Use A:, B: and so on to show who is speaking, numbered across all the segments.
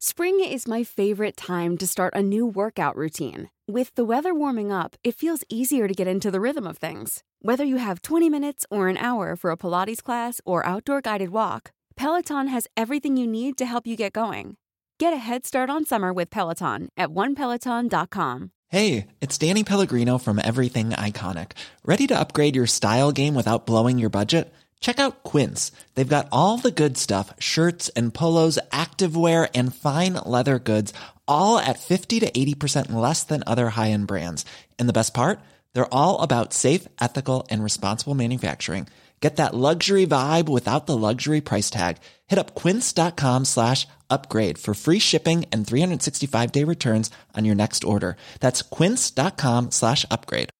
A: Spring is my favorite time to start a new workout routine. With the weather warming up, it feels easier to get into the rhythm of things. Whether you have 20 minutes or an hour for a Pilates class or outdoor guided walk, Peloton has everything you need to help you get going. Get a head start on summer with Peloton at onepeloton.com.
B: Hey, it's Danny Pellegrino from Everything Iconic. Ready to upgrade your style game without blowing your budget? Check out Quince. They've got all the good stuff, shirts and polos, activewear, and fine leather goods, all at 50 to 80% less than other high-end brands. And the best part? They're all about safe, ethical, and responsible manufacturing. Get that luxury vibe without the luxury price tag. Hit up quince.com/upgrade for free shipping and 365-day returns on your next order. That's quince.com/upgrade.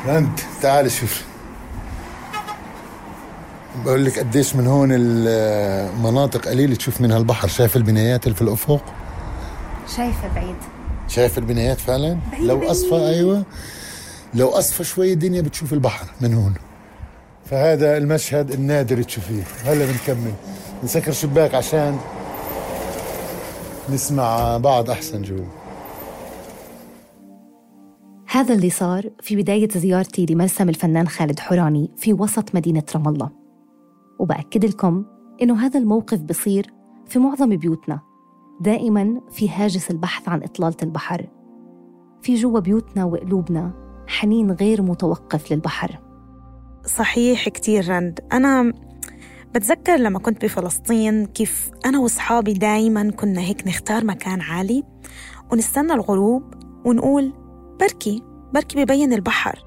C: رند تعال شوف، بقول لك قديش من هون المناطق قليلة تشوف منها البحر. شايف البنايات اللي في الأفق؟
D: شايفة بعيد.
C: شايف البنايات فعلا؟ لو أصفى أيوة، لو أصفى شوي الدنيا بتشوف البحر من هون. فهذا المشهد النادر تشوفيه. هلا بنكمل، نسكر شباك عشان نسمع بعض أحسن جوا.
D: هذا اللي صار في بداية زيارتي لمرسم الفنان خالد حوراني في وسط مدينة رام الله. وبأكد لكم إنه هذا الموقف بصير في معظم بيوتنا. دائماً في هاجس البحث عن إطلالة البحر. في جوا بيوتنا وقلوبنا حنين غير متوقف للبحر.
E: صحيح كتير رند. أنا بتذكر لما كنت بفلسطين كيف أنا وأصحابي دايماً كنا هيك نختار مكان عالي ونستنى الغروب ونقول بركي ببين البحر.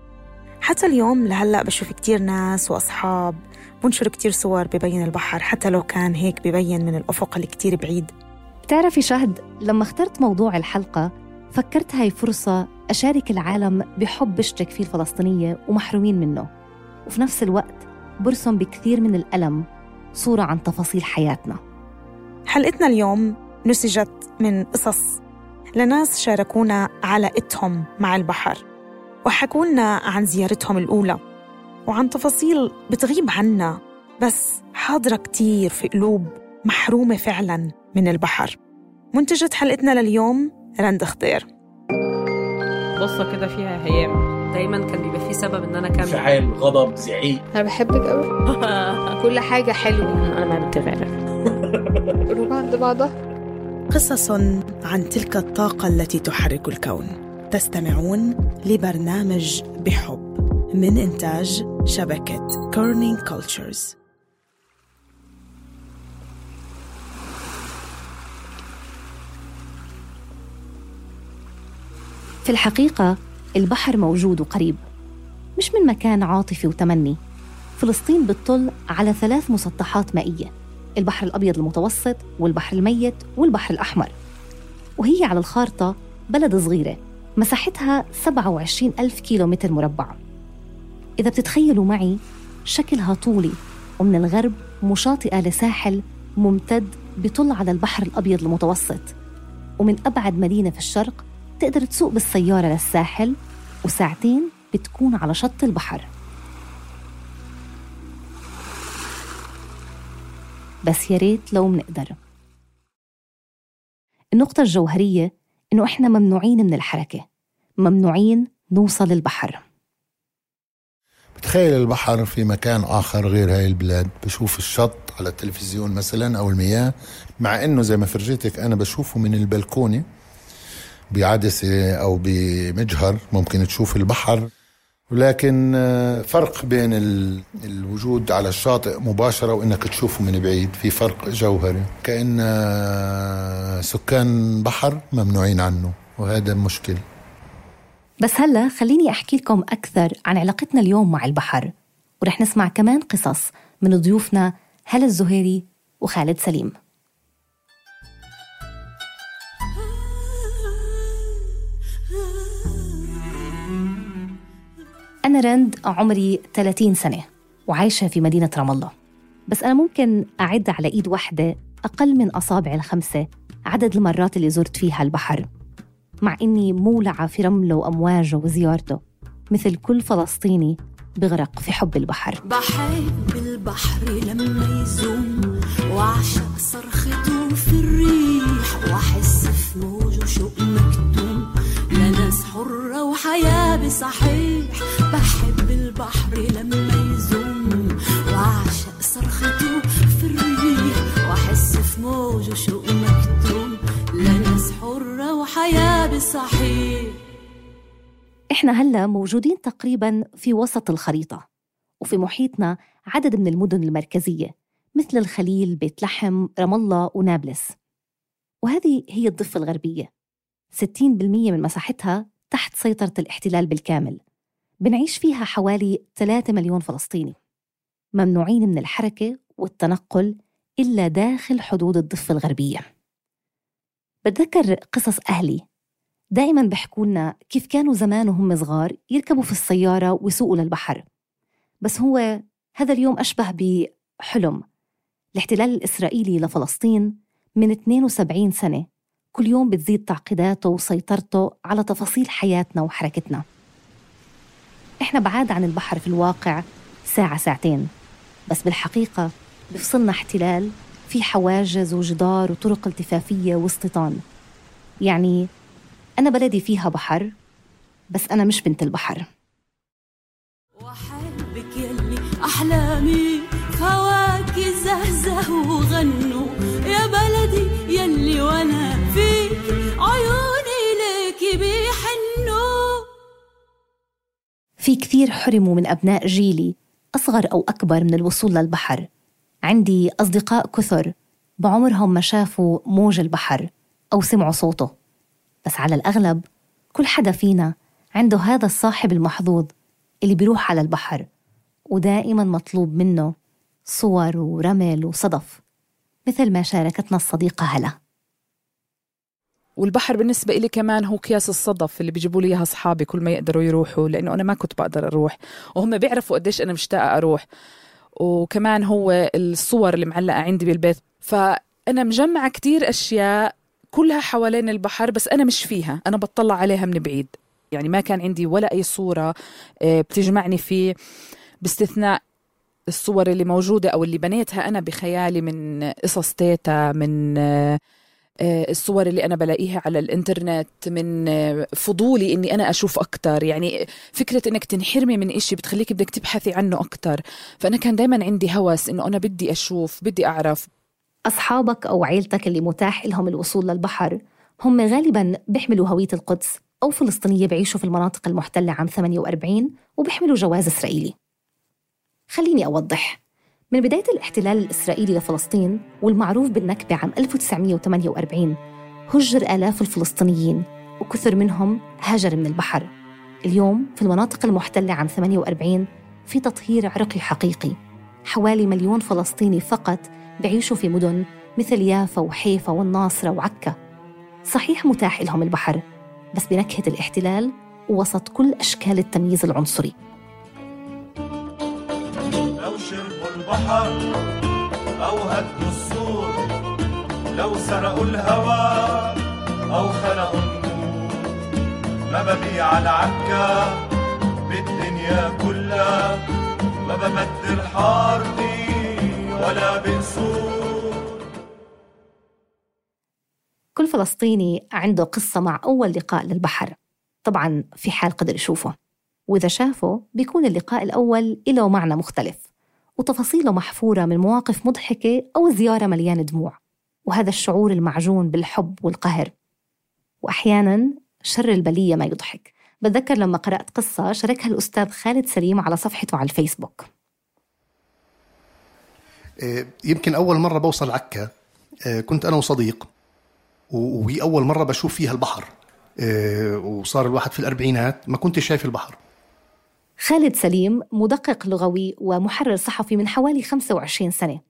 E: حتى اليوم لهلأ بشوف كتير ناس وأصحاب بنشر كتير صور ببين البحر، حتى لو كان هيك ببين من الأفق اللي كتير بعيد.
D: بتعرفي شهد، لما اخترت موضوع الحلقة فكرت هاي فرصة أشارك العالم بحب بشترك فيه الفلسطينية ومحرومين منه، وفي نفس الوقت برسم بكثير من الألم صورة عن تفاصيل حياتنا.
E: حلقتنا اليوم نسجت من قصص لناس شاركونا علاقتهم مع البحر، وحكوا لنا عن زيارتهم الأولى وعن تفاصيل بتغيب عنا بس حاضرة كتير في قلوب محرومة فعلاً من البحر. منتجة حلقتنا لليوم رند خضير.
F: قصة كده فيها هيام، دايماً كان بيبقى فيه سبب إن أنا كمل.
G: فعال، غضب، زعيق.
H: أنا بحبك أوي. كل حاجة حلوة.
F: أنا ما بتغير.
H: روح عند بعضها.
E: قصص عن تلك الطاقة التي تحرك الكون. تستمعون لبرنامج بحب من إنتاج شبكة كورنينج كولتشرز.
D: في الحقيقة البحر موجود وقريب، مش من مكان عاطفي وتمني. فلسطين بتطل على 3 مسطحات مائية: البحر الأبيض المتوسط والبحر الميت والبحر الأحمر. وهي على الخارطة بلد صغيرة مساحتها 27,000 كيلومتر مربع. إذا بتتخيلوا معي شكلها طولي، ومن الغرب مشاطئة لساحل ممتد بيطل على البحر الأبيض المتوسط، ومن أبعد مدينة في الشرق تقدر تسوق بالسيارة للساحل وساعتين بتكون على شط البحر. بس يا ريت لو منقدر. النقطة الجوهرية إنه إحنا ممنوعين من الحركة، ممنوعين نوصل للبحر.
C: بتخيل البحر في مكان آخر غير هاي البلاد، بشوف الشط على التلفزيون مثلا أو المياه، مع إنه زي ما فرجيتك أنا بشوفه من البلكونة بعدسة أو بمجهر ممكن تشوف البحر، ولكن فرق بين الوجود على الشاطئ مباشرة وإنك تشوفه من بعيد، في فرق جوهري، كأن سكان بحر ممنوعين عنه، وهذا مشكل.
D: بس هلأ خليني أحكي لكم أكثر عن علاقتنا اليوم مع البحر، ورح نسمع كمان قصص من ضيوفنا هلا الزهيري وخالد سليم. أنا رند، عمري 30 سنة وعايشة في مدينة رام الله، بس أنا ممكن أعد على إيد واحدة أقل من أصابع ال5 عدد المرات اللي زرت فيها البحر، مع إني مولعة في رمله وأمواجه وزيارته مثل كل فلسطيني بغرق في حب البحر.
I: بحب البحر لما يزور
G: صحيح.
D: إحنا هلأ موجودين تقريباً في وسط الخريطة، وفي محيطنا عدد من المدن المركزية مثل الخليل، بيت لحم، رام الله ونابلس. وهذه هي الضفة الغربية، 60% من مساحتها تحت سيطرة الاحتلال بالكامل. بنعيش فيها حوالي 3 مليون فلسطيني، ممنوعين من الحركة والتنقل إلا داخل حدود الضفة الغربية. بتذكر قصص أهلي دائماً بيحكوا لنا كيف كانوا زمان وهم صغار يركبوا في السيارة ويسوقوا للبحر، بس هو هذا اليوم أشبه بحلم. الاحتلال الإسرائيلي لفلسطين من 72 سنة كل يوم بتزيد تعقيداته وسيطرته على تفاصيل حياتنا وحركتنا. إحنا بعاد عن البحر في الواقع ساعة ساعتين، بس بالحقيقة بفصلنا احتلال في حواجز وجدار وطرق التفافية واستيطان. يعني أنا بلدي فيها بحر، بس أنا مش بنت البحر.
G: وحبك يلي أحلامي فواكه زهزه وغنوا يا بلدي يلي وأنا فيك عيوني ليكي بيحنوا.
D: في كثير حرموا من أبناء جيلي أصغر أو أكبر من الوصول للبحر. عندي أصدقاء كثر بعمرهم ما شافوا موج البحر أو سمعوا صوته، بس على الأغلب كل حدا فينا عنده هذا الصاحب المحظوظ اللي بيروح على البحر ودائماً مطلوب منه صور ورمل وصدف، مثل ما شاركتنا الصديقة هلا.
I: والبحر بالنسبة إلي كمان هو أكياس الصدف اللي بيجيبوا لي إياها أصحابي كل ما يقدروا يروحوا، لأنه أنا ما كنت بقدر أروح وهم بيعرفوا قديش أنا مشتاقة أروح. وكمان هو الصور اللي معلقة عندي بالبيت، فأنا مجمعة كتير أشياء كلها حوالين البحر، بس أنا مش فيها، أنا بطلع عليها من بعيد. يعني ما كان عندي ولا أي صورة بتجمعني فيه، باستثناء الصور اللي موجودة أو اللي بنيتها أنا بخيالي من قصص تيتا، من الصور اللي أنا بلاقيها على الإنترنت، من فضولي إني أنا أشوف أكتر. يعني فكرة إنك تنحرمي من إشي بتخليك بدك تبحثي عنه أكتر، فأنا كان دايما عندي هوس إنه أنا بدي أشوف، بدي أعرف.
D: أصحابك أو عيلتك اللي متاح لهم الوصول للبحر هم غالباً بيحملوا هوية القدس أو فلسطينية، بعيشوا في المناطق المحتلة عام 48 وبيحملوا جواز إسرائيلي. خليني أوضح، من بداية الاحتلال الإسرائيلي لفلسطين والمعروف بالنكبة عام 1948 هجر آلاف الفلسطينيين وكثر منهم هاجر من البحر. اليوم في المناطق المحتلة عام 48 في تطهير عرقي حقيقي. حوالي 1 مليون فلسطيني فقط بعيشوا في مدن مثل يافا وحيفا والناصرة وعكا. صحيح متاح لهم البحر، بس بنكهة الاحتلال ووسط كل أشكال التمييز العنصري.
J: لو شربوا البحر أو هدوا السور، لو سرقوا الهوى أو خلقوا النور، ما ببيع العكا بالدنيا كلها، ما ببدل حارتي ولا بقصور.
D: كل فلسطيني عنده قصة مع أول لقاء للبحر، طبعاً في حال قدر يشوفه، وإذا شافه بيكون اللقاء الأول له معنى مختلف وتفاصيله محفورة من مواقف مضحكة أو زيارة مليانة دموع، وهذا الشعور المعجون بالحب والقهر. وأحياناً شر البلية ما يضحك. بتذكر لما قرأت قصة شاركها الأستاذ خالد سليم على صفحته على الفيسبوك.
K: يمكن أول مرة بوصل عكا كنت أنا وصديق، وهي أول مرة بشوف فيها البحر، وصار الواحد في الأربعينات ما كنت شايف البحر.
D: خالد سليم مدقق لغوي ومحرر صحفي من حوالي 25 سنة،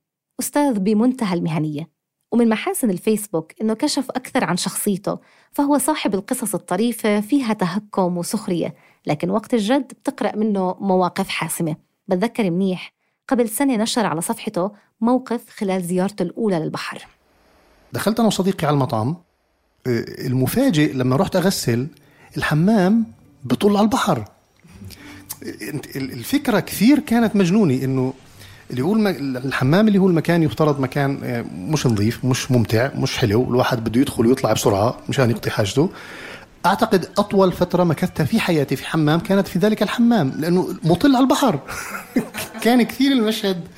D: أستاذ بمنتهى المهنية. ومن محاسن الفيسبوك إنه كشف أكثر عن شخصيته، فهو صاحب القصص الطريفة فيها تهكم وسخرية، لكن وقت الجد بتقرأ منه مواقف حاسمة. بتذكر منيح قبل سنة نشر على صفحته موقف خلال زيارته الأولى للبحر.
K: دخلت أنا وصديقي على المطعم، المفاجئ لما رحت أغسل الحمام بطل على البحر. الفكرة كثير كانت مجنونة، إنه اللي هو الحمام اللي هو المكان يفترض مكان مش نظيف، مش ممتع، مش حلو، الواحد بده يدخل ويطلع بسرعة مشان يقضي حاجته. أعتقد أطول فترة مكثتها في حياتي في حمام كانت في ذلك الحمام، لأنه مطل على البحر. كان كثير المشهد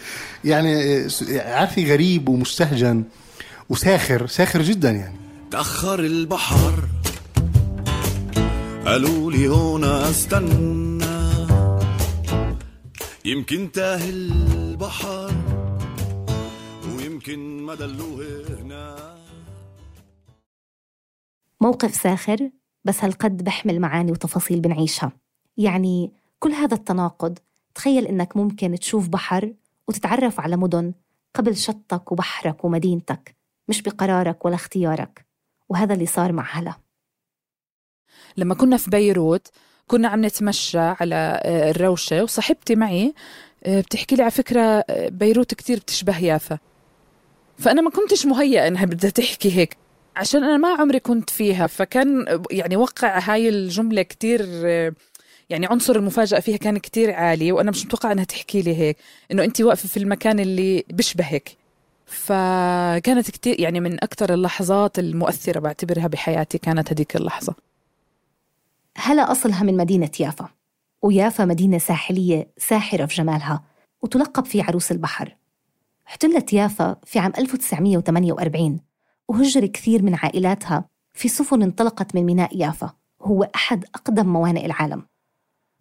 K: يعني عارفي غريب ومستهجن وساخر جدا. يعني
J: تأخر البحر
L: قالوا لي هون استنى يمكن تاهي البحر ويمكن ما دلوه هنا.
D: موقف ساخر بس هالقد بحمل معاني وتفاصيل بنعيشها. يعني كل هذا التناقض، تخيل إنك ممكن تشوف بحر وتتعرف على مدن قبل شطك وبحرك ومدينتك، مش بقرارك ولا اختيارك. وهذا اللي صار مع هلا.
I: لما كنا في بيروت كنا عم نتمشى على الروشة، وصاحبتي معي بتحكي لي على فكرة بيروت كتير بتشبه يافا. فأنا ما كنتش مهيئة إنها بدها تحكي هيك، عشان أنا ما عمري كنت فيها. فكان يعني وقع هاي الجملة كتير، يعني عنصر المفاجأة فيها كان كتير عالي، وأنا مش متوقع أنها تحكي لي هيك، إنه أنتي واقفة في المكان اللي بيشبهك. فكانت كتير يعني من أكتر اللحظات المؤثرة بعتبرها بحياتي كانت هديك اللحظة.
D: هلا أصلها من مدينة يافا، ويافا مدينة ساحلية ساحرة في جمالها، وتلقب في عروس البحر. احتلت يافا في عام 1948، وهجر كثير من عائلاتها في سفن انطلقت من ميناء يافا، هو أحد أقدم موانئ العالم.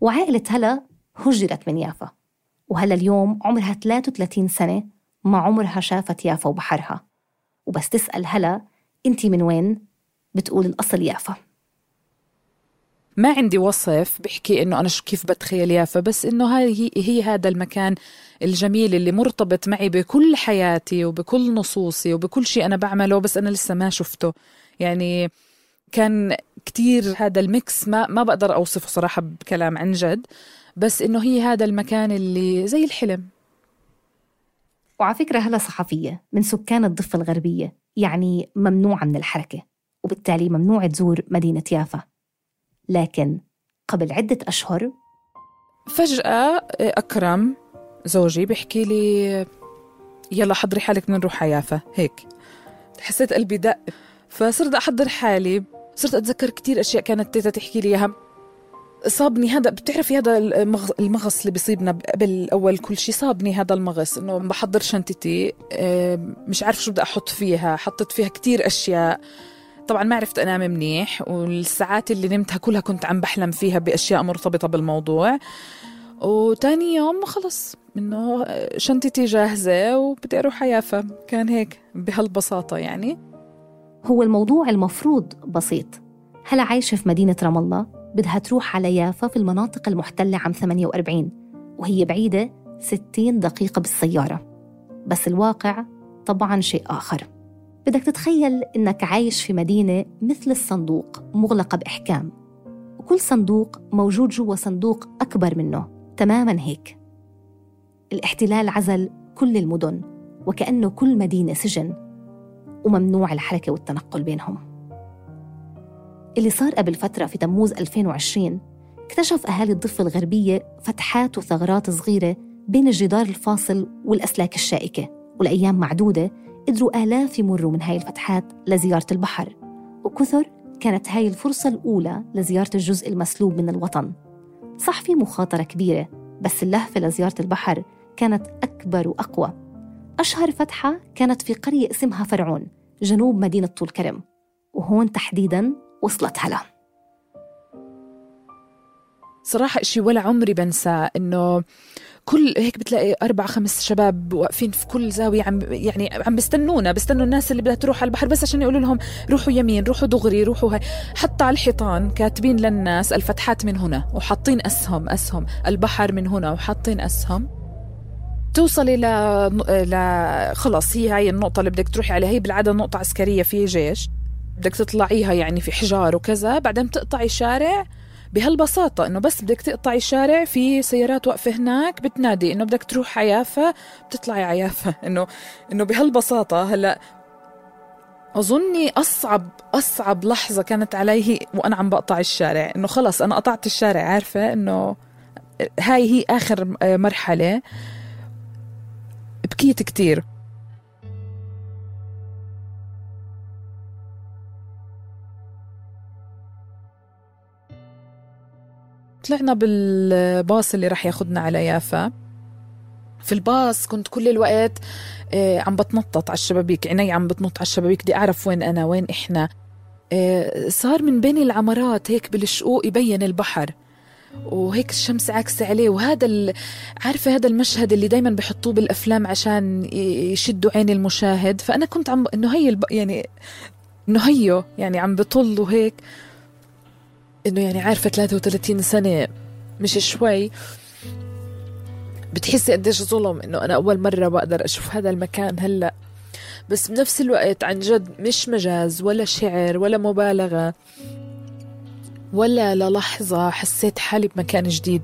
D: وعائلة هلا هجرت من يافا، وهلا اليوم عمرها 33 سنة، ما عمرها شافت يافا وبحرها. وبس تسأل هلا أنتي من وين؟ بتقول الأصل يافا.
I: ما عندي وصف بحكي إنه أنا كيف بتخيل يافا، بس إنه هي هذا المكان الجميل اللي مرتبط معي بكل حياتي وبكل نصوصي وبكل شيء أنا بعمله، بس أنا لسه ما شفته. يعني كان كتير هذا الميكس، ما بقدر أوصفه صراحة بكلام عن جد، بس إنه هي هذا المكان اللي زي الحلم.
D: وعلى فكرة هلا صحفية من سكان الضفة الغربية، يعني ممنوعة من الحركة، وبالتالي ممنوع تزور مدينة يافا. لكن قبل عدة أشهر
I: فجأة أكرم زوجي بيحكي لي يلا حضري حالك بدنا نروح على يافا. هيك حسيت قلبي دق، فصرت أحضر حالي. صرت أتذكر كتير أشياء كانت تيتا تحكي لي إياها. صابني هذا، بتعرفي هذا المغص اللي بيصيبنا قبل أول كل شيء، صابني هذا المغص إنه بحضر شنطتي مش عارف شو بدي أحط فيها. حطت فيها كتير أشياء، طبعا ما عرفت أنام منيح، والساعات اللي نمتها كلها كنت عم بحلم فيها بأشياء مرتبطة بالموضوع. وتاني يوم خلص إنه شنطتي جاهزة وبدي أروح على يافا. كان هيك بهالبساطة. يعني
D: هو الموضوع المفروض بسيط. هلا عايشة في مدينة رام الله، بدها تروح على يافا في المناطق المحتلة عام 48، وهي بعيدة 60 دقيقة بالسيارة. بس الواقع طبعاً شيء آخر. بدك تتخيل إنك عايش في مدينة مثل الصندوق مغلقة بإحكام، وكل صندوق موجود جوا صندوق أكبر منه تماماً هيك. الاحتلال عزل كل المدن، وكأنه كل مدينة سجن، وممنوع الحركة والتنقل بينهم. اللي صار قبل فترة في تموز 2020، اكتشف أهالي الضفة الغربية فتحات وثغرات صغيرة بين الجدار الفاصل والأسلاك الشائكة، والأيام معدودة قدروا آلاف يمروا من هاي الفتحات لزيارة البحر. وكثر كانت هاي الفرصة الأولى لزيارة الجزء المسلوب من الوطن. صح في مخاطرة كبيرة، بس اللهفة لزيارة البحر كانت أكبر وأقوى. أشهر فتحة كانت في قرية اسمها فرعون جنوب مدينة طول كرم، وهون تحديداً وصلت هلا.
I: صراحة إشي ولا عمري بنسى، إنه كل هيك بتلاقي 4-5 شباب واقفين في كل زاوية عم بيستنوا الناس اللي بدها تروح على البحر، بس عشان يقولوا لهم روحوا يمين، روحوا دغري، روحوا هاي. حتى على الحيطان كاتبين للناس الفتحات من هنا، وحاطين أسهم البحر من هنا، وحاطين أسهم. توصلي خلاص هي هاي النقطة اللي بدك تروحي عليها. هي بالعادة نقطة عسكرية في جيش، بدك تطلعيها يعني في حجار وكذا. بعدين تقطعي شارع بهالبساطة، إنه بس بدك تقطعي شارع في سيارات واقفة هناك بتنادي إنه بدك تروح عيافة، بتطلعي عيافة. إنه بهالبساطة. هلأ أظني أصعب لحظة كانت علي وأنا عم بقطع الشارع، إنه خلص أنا قطعت الشارع، عارفة إنه هاي هي آخر مرحلة. بكيت كتير. طلعنا بالباص اللي رح ياخدنا على يافا. في الباص كنت كل الوقت عم بتنطط على الشبابيك، عيني عم بتنط على الشبابيك، دي أعرف وين أنا وين إحنا. صار من بين العمارات هيك بالشقوق يبين البحر، وهيك الشمس عاكسة عليه. وهذا عارفة هذا المشهد اللي دايما بحطوه بالأفلام عشان يشدوا عين المشاهد. فأنا كنت إنه هي إنه هيو يعني عم بطل وهيك، إنه يعني عارفة 33 سنة مش شوي، بتحسي قديش ظلم إنه أنا أول مرة بقدر أشوف هذا المكان هلأ. بس بنفس الوقت عن جد مش مجاز ولا شعر ولا مبالغة ولا للحظة حسيت حالي بمكان جديد.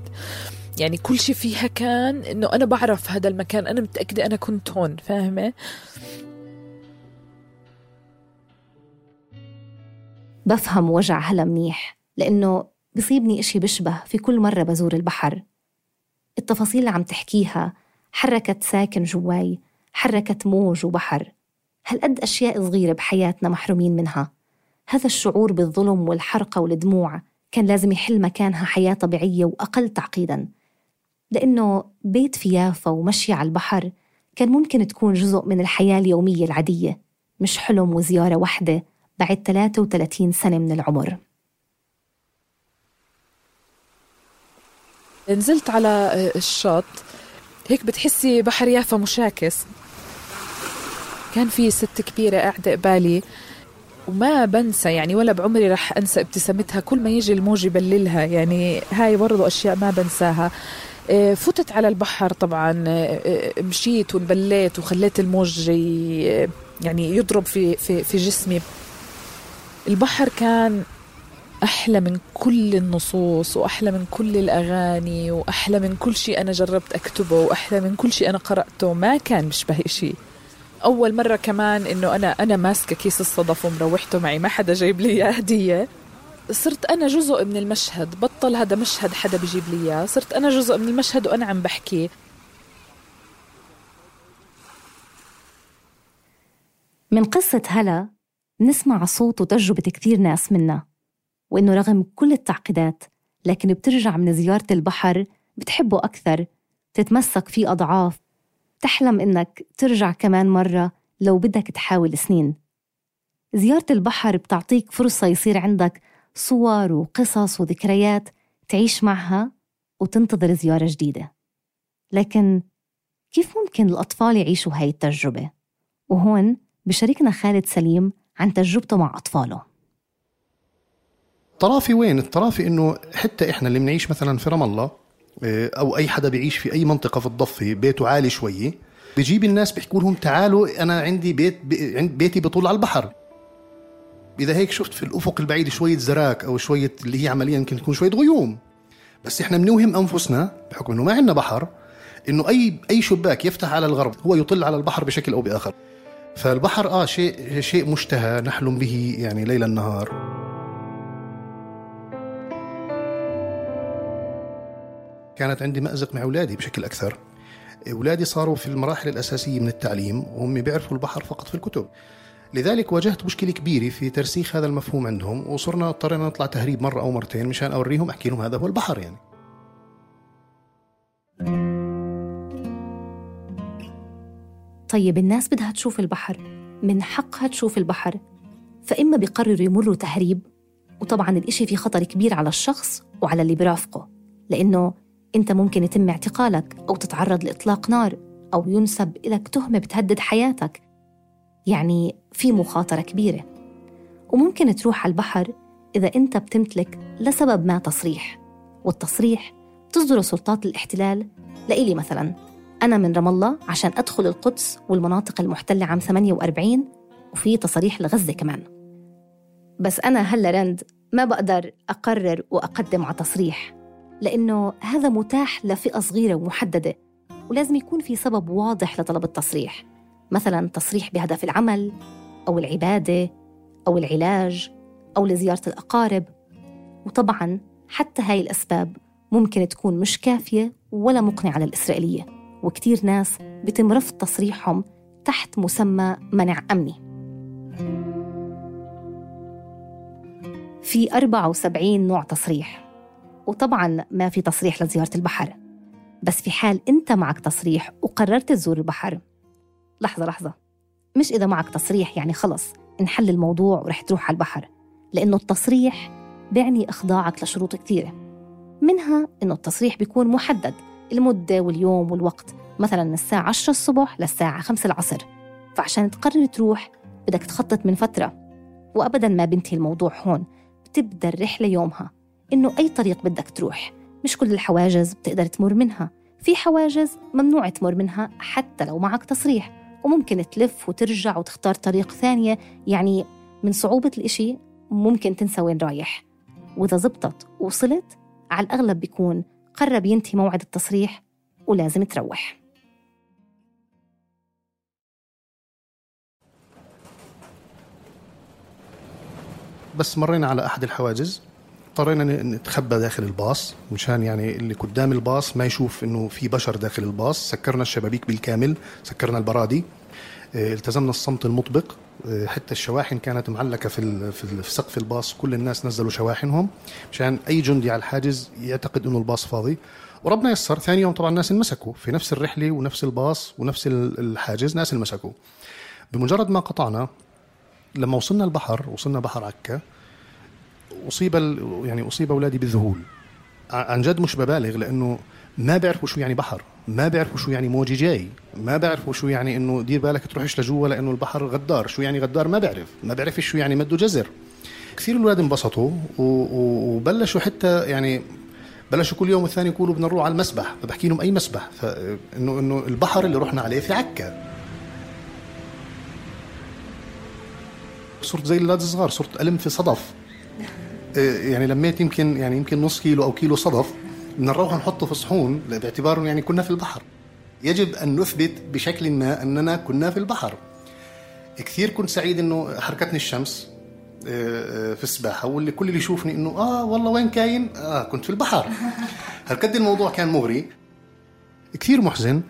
I: يعني كل شيء فيها كان إنه أنا بعرف هذا المكان، أنا متأكدة أنا كنت هون، فاهمة؟
D: بفهم وجع هلا منيح، لأنه بصيبني إشي بشبه في كل مرة بزور البحر. التفاصيل اللي عم تحكيها حركت ساكن جواي، حركت موج وبحر، هالقد أشياء صغيرة بحياتنا محرومين منها. هذا الشعور بالظلم والحرقة والدموع كان لازم يحل مكانها حياة طبيعية وأقل تعقيداً، لأنه بيت في يافا ومشي على البحر كان ممكن تكون جزء من الحياة اليومية العادية، مش حلم وزيارة واحدة بعد 33 سنة من العمر.
I: نزلت على الشط هيك بتحسي بحر يافا مشاكس. كان في ست كبيرة قاعدة قبالي وما بنسى يعني ولا بعمري رح أنسى ابتسامتها كل ما يجي الموج يبللها. يعني هاي برضو أشياء ما بنساها. فتت على البحر طبعا، مشيت ونبليت وخليت الموج يعني يضرب في جسمي. البحر كان أحلى من كل النصوص وأحلى من كل الأغاني وأحلى من كل شيء أنا جربت أكتبه وأحلى من كل شيء أنا قرأته. ما كان بيشبه شيء. أول مرة كمان إنه أنا ماسكة كيس الصدف ومروحته معي، ما حدا جايب لي هدية. صرت أنا جزء من المشهد، بطل هذا مشهد حدا بيجيب لي إياه، صرت أنا جزء من المشهد وأنا عم بحكي.
D: من قصة هلا نسمع صوت وتجربة كثير ناس منا، وإنه رغم كل التعقيدات لكن بترجع من زيارة البحر بتحبه أكثر، تتمسك فيه أضعاف، تحلم إنك ترجع كمان مرة لو بدك تحاول سنين. زيارة البحر بتعطيك فرصة يصير عندك صور وقصص وذكريات تعيش معها وتنتظر زيارة جديدة. لكن كيف ممكن الأطفال يعيشوا هاي التجربة؟ وهون بشاركنا خالد سليم عن تجربته مع أطفاله.
K: الطرافي وين؟ الطرافي إنه حتى إحنا اللي بنعيش مثلا في رام الله أو أي حدا بيعيش في أي منطقة في الضفة بيته عالي شوي، بيجيب الناس بيحكوا لهم تعالوا أنا عندي بيتي بطول على البحر. إذا هيك شفت في الأفق البعيد شوية زراك أو شوية اللي هي عمليا يمكن تكون شوية غيوم، بس إحنا بنوهم أنفسنا بحكم إنه ما عندنا بحر إنه أي شباك يفتح على الغرب هو يطل على البحر بشكل أو بآخر. فالبحر شيء مشتهى نحلم به يعني ليل النهار. كانت عندي مأزق مع أولادي بشكل أكثر. أولادي صاروا في المراحل الأساسية من التعليم وهم بيعرفوا البحر فقط في الكتب، لذلك واجهت مشكلة كبيرة في ترسيخ هذا المفهوم عندهم، وصرنا اضطرينا نطلع تهريب مرة أو مرتين مشان أوريهم أحكي لهم هذا هو البحر. يعني
D: طيب الناس بدها تشوف البحر، من حقها تشوف البحر، فإما بيقرروا يمروا تهريب، وطبعاً الإشي فيه خطر كبير على الشخص وعلى اللي برافقه، لأنه أنت ممكن يتم اعتقالك أو تتعرض لإطلاق نار أو ينسب إلك تهمة بتهدد حياتك. يعني في مخاطرة كبيرة. وممكن تروح على البحر إذا أنت بتمتلك لسبب ما تصريح، والتصريح تصدر سلطات الاحتلال. لإلي مثلاً أنا من رام الله عشان أدخل القدس والمناطق المحتلة عام 48، وفي تصريح لغزة كمان. بس أنا هلا رند ما بقدر أقرر وأقدم على تصريح، لأنه هذا متاح لفئة صغيرة ومحددة، ولازم يكون في سبب واضح لطلب التصريح، مثلاً تصريح بهدف العمل أو العبادة أو العلاج أو لزيارة الأقارب. وطبعاً حتى هاي الأسباب ممكن تكون مش كافية ولا مقنعة للإسرائيلية، وكتير ناس بتم رفض تصريحهم تحت مسمى منع أمني. في 74 نوع تصريح، وطبعاً ما في تصريح لزيارة البحر. بس في حال أنت معك تصريح وقررت تزور البحر، لحظة مش إذا معك تصريح يعني خلص انحل الموضوع ورح تروح على البحر. لأنه التصريح بيعني إخضاعك لشروط كثيرة، منها إنه التصريح بيكون محدد المدة واليوم والوقت، مثلاً من الساعة 10 الصبح للساعة 5 العصر. فعشان تقرر تروح بدك تخطط من فترة، وأبداً ما بنتهي الموضوع هون، بتبدأ الرحلة يومها إنه أي طريق بدك تروح. مش كل الحواجز بتقدر تمر منها، في حواجز ممنوع تمر منها حتى لو معك تصريح، وممكن تلف وترجع وتختار طريق ثانية. يعني من صعوبة الإشي ممكن تنسى وين رايح، وإذا زبطت وصلت على الأغلب بيكون قرب ينتهي موعد التصريح ولازم تروح.
K: بس مرينا على أحد الحواجز، اضطرينا نتخبى داخل الباص مشان يعني اللي قدام الباص ما يشوف إنه في بشر داخل الباص. سكرنا الشبابيك بالكامل، سكرنا البرادي، التزمنا الصمت المطبق. حتى الشواحن كانت معلقة في سقف الباص، كل الناس نزلوا شواحنهم مشان أي جندي على الحاجز يعتقد إنه الباص فاضي. وربنا يسر، ثاني يوم طبعا الناس انمسكوا في نفس الرحلة ونفس الباص ونفس الحاجز، ناس انمسكوا. بمجرد ما قطعنا، لما وصلنا البحر، وصلنا بحر عكا، أصيب أولادي بالذهول. عن جد مش ببالغ، لأنه ما بيعرفوا شو يعني بحر، ما بيعرفوا شو يعني موجي جاي، ما بيعرفوا شو يعني إنه دير بالك تروحش لجوا لأنه البحر غدار. شو يعني غدار ما بيعرف شو يعني مده جزر. كثير الأولاد انبسطوا وبلشوا حتى يعني بلشوا كل يوم والثاني يقولوا بدنا نروح على المسبح. فبحكي لهم أي مسبح؟ فإنه البحر اللي رحنا عليه في عكا. صرت زي الأولاد الصغار، صرت ألم في صدف. يعني لميت يمكن نص كيلو أو كيلو صدف، بدنا نروح نحطه في صحون باعتبار يعني كنا في البحر. يجب أن نثبت بشكل ما أننا كنا في البحر. كثير كنت سعيد إنه حركتني الشمس في السباحة، واللي كل اللي يشوفني إنه والله وين كاين، كنت في البحر. هالقد الموضوع كان مغري. كثير محزن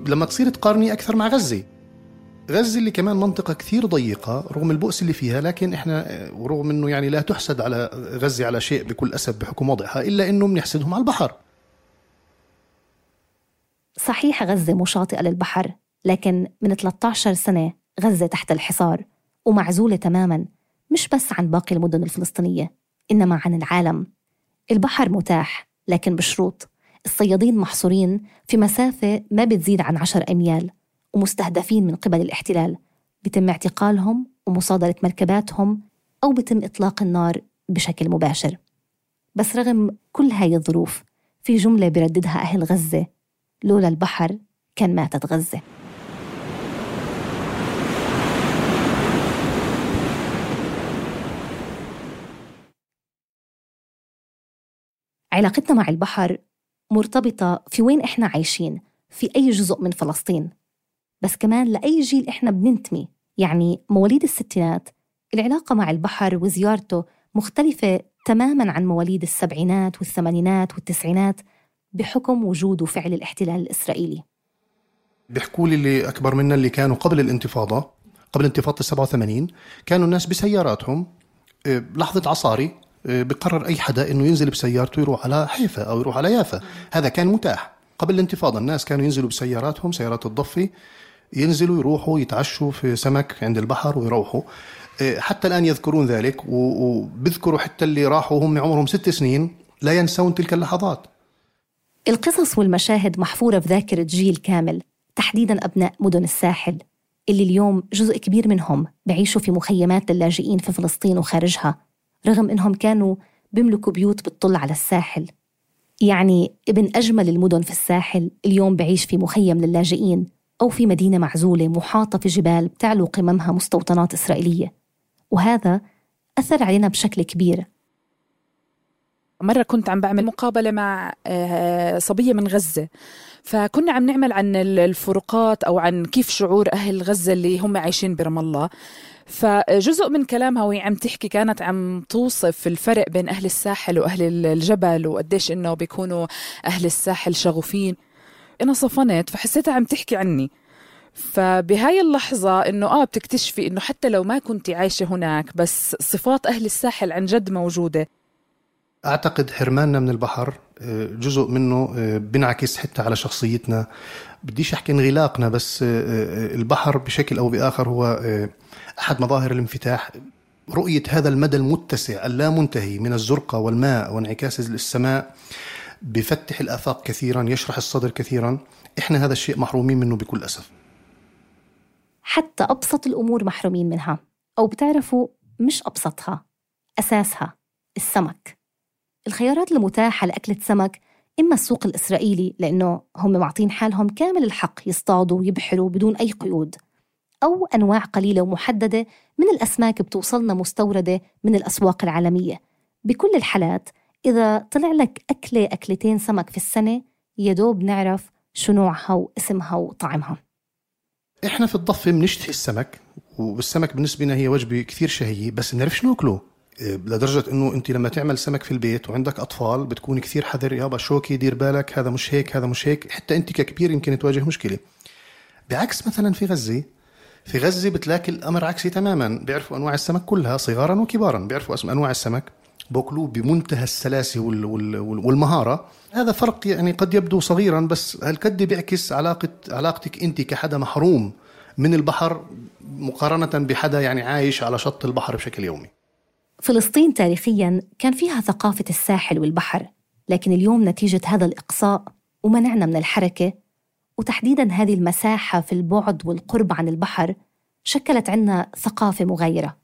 K: لما تصير تقارني أكثر مع غزة اللي كمان منطقة كثير ضيقة رغم البؤس اللي فيها، لكن إحنا ورغم إنه يعني لا تحسد على غزة على شيء بكل أسف بحكم وضعها، إلا إنه بنحسدهم على البحر.
D: صحيح غزة مشاطئة للبحر، لكن من 13 سنة غزة تحت الحصار ومعزولة تماماً، مش بس عن باقي المدن الفلسطينية إنما عن العالم. البحر متاح لكن بشروط. الصيادين محصورين في مسافة ما بتزيد عن 10 أميال، ومستهدفين من قبل الاحتلال. بتم اعتقالهم ومصادرة مركباتهم، أو بتم إطلاق النار بشكل مباشر. بس رغم كل هاي الظروف، في جملة برددها أهل غزة: لولا البحر كان ماتت غزة. علاقتنا مع البحر مرتبطة في وين إحنا عايشين، في أي جزء من فلسطين، بس كمان لأي جيل إحنا بننتمي. يعني مواليد الستينات العلاقة مع البحر وزيارته مختلفة تماماً عن مواليد السبعينات والثمانينات والتسعينات بحكم وجود وفعل الاحتلال الإسرائيلي.
K: بيحكوا لي اللي أكبر منا اللي كانوا قبل الانتفاضة، قبل انتفاضة 87، كانوا الناس بسياراتهم لحظة عصاري بقرر أي حدا إنه ينزل بسيارته يروح على حيفا أو يروح على يافا. هذا كان متاح قبل الانتفاضة. الناس كانوا ينزلوا بسياراتهم، سيارات الضفة، ينزلوا يروحوا يتعشوا في سمك عند البحر ويروحوا. حتى الآن يذكرون ذلك، وبذكروا حتى اللي راحوا هم عمرهم 6 سنين لا ينسون تلك اللحظات.
D: القصص والمشاهد محفورة في ذاكرة جيل كامل، تحديداً أبناء مدن الساحل اللي اليوم جزء كبير منهم بعيشوا في مخيمات للاجئين في فلسطين وخارجها، رغم إنهم كانوا بيملكوا بيوت بتطل على الساحل. يعني ابن أجمل المدن في الساحل اليوم بعيش في مخيم للاجئين أو في مدينة معزولة محاطة في جبال بتعلو قممها مستوطنات إسرائيلية، وهذا أثر علينا بشكل كبير.
I: مرة كنت عم بعمل مقابلة مع صبية من غزة، فكنا عم نعمل عن الفروقات أو عن كيف شعور أهل غزة اللي هم عايشين برام الله. فجزء من كلامها وهي عم تحكي كانت عم توصف الفرق بين أهل الساحل وأهل الجبل، وقديش إنه بيكونوا أهل الساحل شغوفين. أنا صفنت فحسيتها عم تحكي عني. فبهاي اللحظة إنه بتكتشفي إنه حتى لو ما كنتي عايشة هناك، بس صفات أهل الساحل عن جد موجودة.
K: أعتقد حرماننا من البحر جزء منه بنعكس حتى على شخصيتنا. بديش أحكي انغلاقنا، بس البحر بشكل أو بآخر هو أحد مظاهر الانفتاح. رؤية هذا المدى المتسع اللامنتهي من الزرقة والماء وانعكاس السماء بفتح الآفاق كثيرا، يشرح الصدر كثيرا. إحنا هذا الشيء محرومين منه بكل أسف.
D: حتى أبسط الأمور محرومين منها، أو بتعرفوا مش أبسطها، أساسها السمك. الخيارات المتاحة لأكلة سمك إما السوق الإسرائيلي لأنه هم معطين حالهم كامل الحق يصطادوا ويبحروا بدون أي قيود، أو أنواع قليلة ومحددة من الأسماك بتوصلنا مستوردة من الأسواق العالمية. بكل الحالات إذا طلع لك أكلتين سمك في السنة يدوب نعرف شو نوعها واسمها وطعمها.
K: إحنا في الضفة بنشتهي السمك، والسمك بالنسبة لنا هي وجبة كثير شهية، بس بنعرفش ناكله. لدرجة إنه أنت لما تعمل سمك في البيت وعندك أطفال بتكون كثير حذر، يابا شوكي دير بالك، هذا مش هيك هذا مش هيك. حتى أنت ككبير يمكن تواجه مشكلة. بعكس مثلا في غزة بتلاقي الأمر عكسي تماما، بيعرفوا أنواع السمك كلها صغارا وكبارا، بيعرفوا اسم أنواع السمك، بوكلوه بمنتهى السلاسة والمهارة. هذا فرق يعني قد يبدو صغيرا، بس هالقد بيعكس علاقتك أنت كحدا محروم من البحر مقارنة بحدا يعني عايش على شط البحر بشكل يومي.
D: فلسطين تاريخياً كان فيها ثقافة الساحل والبحر، لكن اليوم نتيجة هذا الإقصاء ومنعنا من الحركة، وتحديداً هذه المساحة في البعد والقرب عن البحر، شكلت عنا ثقافة مغايرة.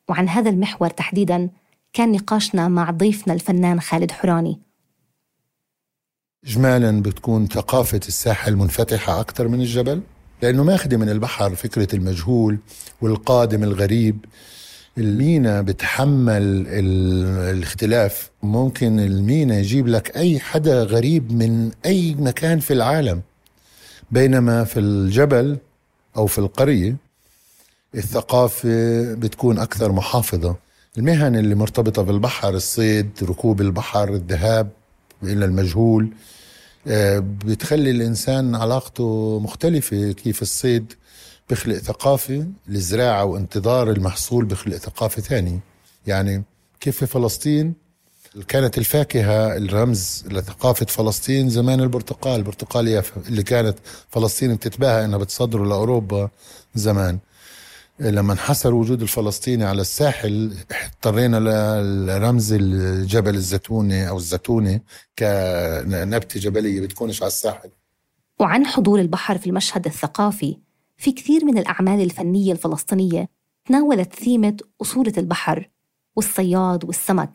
D: وعن هذا المحور تحديداً كان نقاشنا مع ضيفنا الفنان خالد حوراني.
C: إجمالاً بتكون ثقافة الساحل منفتحة أكثر من الجبل، لأنه ماخذ من البحر فكرة المجهول والقادم الغريب. المينا بتحمل الاختلاف، ممكن المينا يجيب لك أي حدا غريب من أي مكان في العالم، بينما في الجبل أو في القرية الثقافة بتكون أكثر محافظة. المهن اللي مرتبطة بالبحر، الصيد، ركوب البحر، الذهاب إلى المجهول، بتخلي الإنسان علاقته مختلفة. كيف الصيد بخلق ثقافة، الزراعة وانتظار المحصول بخلق ثقافة ثانية. يعني كيف في فلسطين كانت الفاكهة الرمز لثقافة فلسطين زمان البرتقالية اللي كانت فلسطين بتتباهى انها بتصدره لأوروبا زمان. لما انحصر وجود الفلسطيني على الساحل اضطرينا لرمز الجبل الزيتوني أو الزيتونة كنبتة جبلية بتكونش على الساحل.
D: وعن حضور البحر في المشهد الثقافي، في كثير من الأعمال الفنية الفلسطينية تناولت ثيمة أصولة البحر والصياد والسمك،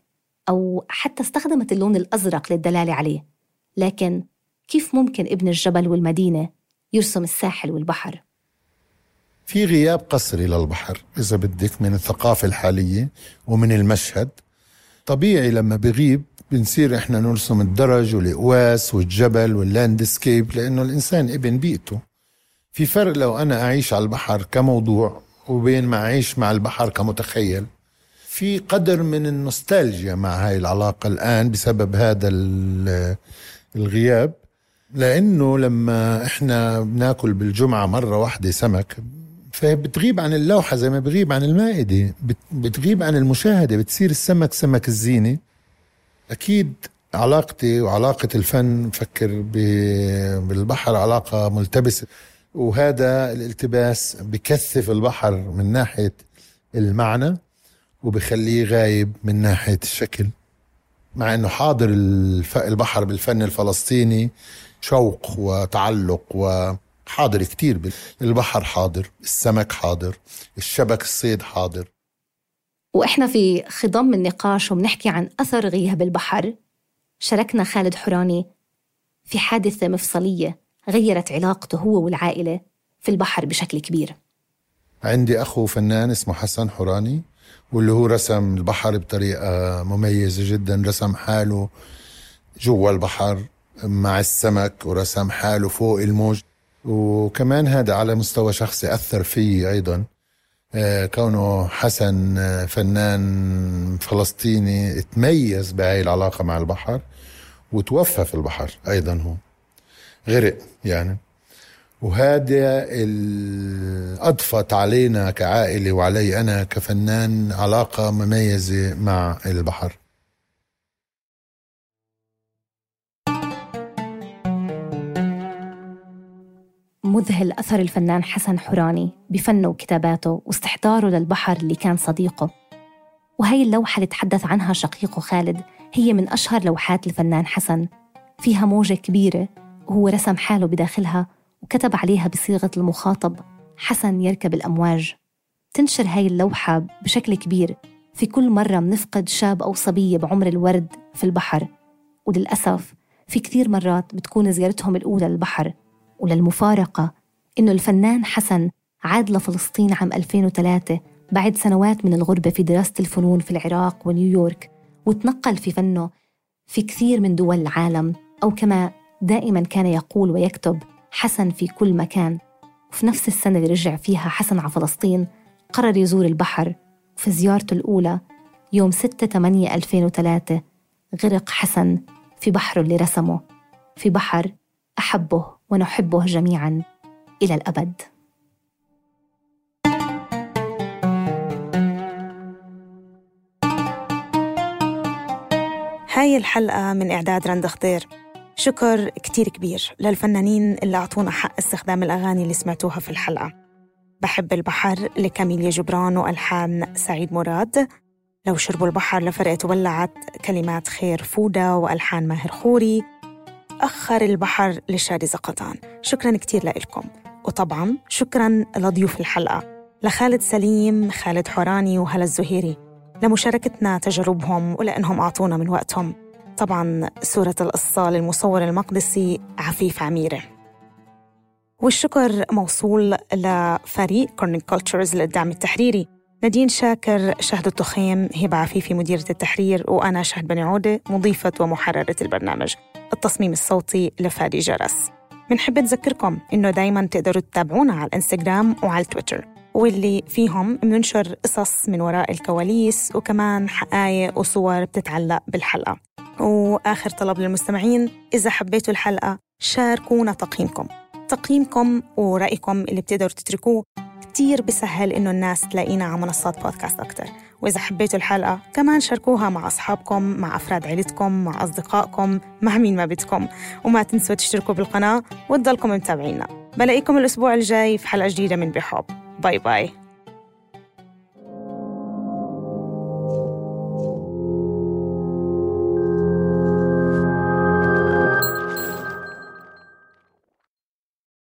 D: أو حتى استخدمت اللون الأزرق للدلالة عليه. لكن كيف ممكن ابن الجبل والمدينة يرسم الساحل والبحر؟
C: في غياب قسري للبحر إذا بدك من الثقافة الحالية ومن المشهد. طبيعي لما بغيب بنصير إحنا نرسم الدرج والإقواس والجبل واللاندسكيب، لأنه الإنسان ابن بيئته. في فرق لو أنا أعيش على البحر كموضوع وبين ما أعيش مع البحر كمتخيل. في قدر من النوستالجيا مع هاي العلاقة الآن بسبب هذا الغياب، لأنه لما إحنا بناكل بالجمعة مرة واحدة سمك فبتغيب عن اللوحة زي ما بغيب عن المائدة، بتغيب عن المشاهدة، بتصير السمك سمك الزينة. أكيد علاقتي وعلاقة الفن فكر بالبحر علاقة ملتبسة، وهذا الالتباس بكثف البحر من ناحية المعنى وبخليه غايب من ناحية الشكل. مع أنه حاضر البحر بالفن الفلسطيني شوق وتعلق، وحاضر كتير. البحر حاضر، السمك حاضر، الشبك الصيد حاضر.
D: وإحنا في خضم النقاش وبنحكي عن أثر غياب البحر، شاركنا خالد حوراني في حادثة مفصلية غيرت علاقته هو والعائلة في البحر بشكل كبير.
C: عندي أخو فنان اسمه حسن حوراني، واللي هو رسم البحر بطريقة مميزة جدا. رسم حاله جوا البحر مع السمك، ورسم حاله فوق الموج. وكمان هذا على مستوى شخصي أثر فيه أيضا، كونه حسن فنان فلسطيني تميز بهاي العلاقة مع البحر، وتوفى في البحر أيضا، هو غرق يعني. وهذا أضفت علينا كعائلة وعلي أنا كفنان علاقة مميزة مع البحر.
D: مذهل أثر الفنان حسن حوراني بفنه وكتاباته واستحضاره للبحر اللي كان صديقه. وهي اللوحة اللي تحدث عنها شقيقه خالد هي من أشهر لوحات الفنان حسن، فيها موجة كبيرة وهو رسم حاله بداخلها وكتب عليها بصيغة المخاطب حسن يركب الأمواج. تنشر هاي اللوحة بشكل كبير في كل مرة منفقد شاب أو صبية بعمر الورد في البحر، وللأسف في كثير مرات بتكون زيارتهم الأولى للبحر. وللمفارقة إنه الفنان حسن عاد لفلسطين عام 2003 بعد سنوات من الغربة في دراسة الفنون في العراق ونيويورك، وتنقل في فنه في كثير من دول العالم، أو كما دائما كان يقول ويكتب حسن في كل مكان. وفي نفس السنة اللي رجع فيها حسن على فلسطين قرر يزور البحر، وفي زيارته الأولى يوم 6/8/2003 غرق حسن في بحره اللي رسمه، في بحر أحبه ونحبه جميعا إلى الأبد.
E: هاي الحلقة من إعداد رند خضير. شكر كتير كبير للفنانين اللي أعطونا حق استخدام الأغاني اللي سمعتوها في الحلقة. بحب البحر لكاميليا جبران وألحان سعيد مراد، لو شربوا البحر لفرقة ولعت كلمات خير فودة وألحان ماهر خوري، أخر البحر لشادي زقطان. شكراً كتير لإلكم، وطبعاً شكراً لضيوف الحلقة، لخالد سليم، خالد حوراني وهلا الزهيري، لمشاركتنا تجاربهم ولأنهم أعطونا من وقتهم. طبعاً صورة القصة للمصور المقدسي عفيف عميرة. والشكر موصول لفريق كورنينج كولتشرز للدعم التحريري، نادين شاكر، شهد التخيم، هبة عفيفي مديرة التحرير، وأنا شهد بني عودة مضيفة ومحررة البرنامج. التصميم الصوتي لفادي جرس. منحب نذكركم إنه دايماً تقدروا تتابعونا على الإنستغرام وعلى التويتر، واللي فيهم بننشر قصص من وراء الكواليس وكمان حقائق وصور بتتعلق بالحلقة. وآخر طلب للمستمعين، إذا حبيتوا الحلقة شاركونا تقييمكم ورأيكم اللي بتقدروا تتركوه كتير بسهل إنه الناس تلاقينا على منصات بودكاست أكتر. وإذا حبيتوا الحلقة كمان شاركوها مع أصحابكم، مع أفراد عيلتكم، مع أصدقائكم، مع مين ما بدكم. وما تنسوا تشتركوا بالقناة وتضلكم متابعينا. بلاقيكم الأسبوع الجاي في حلقة جديدة من بحب. باي باي.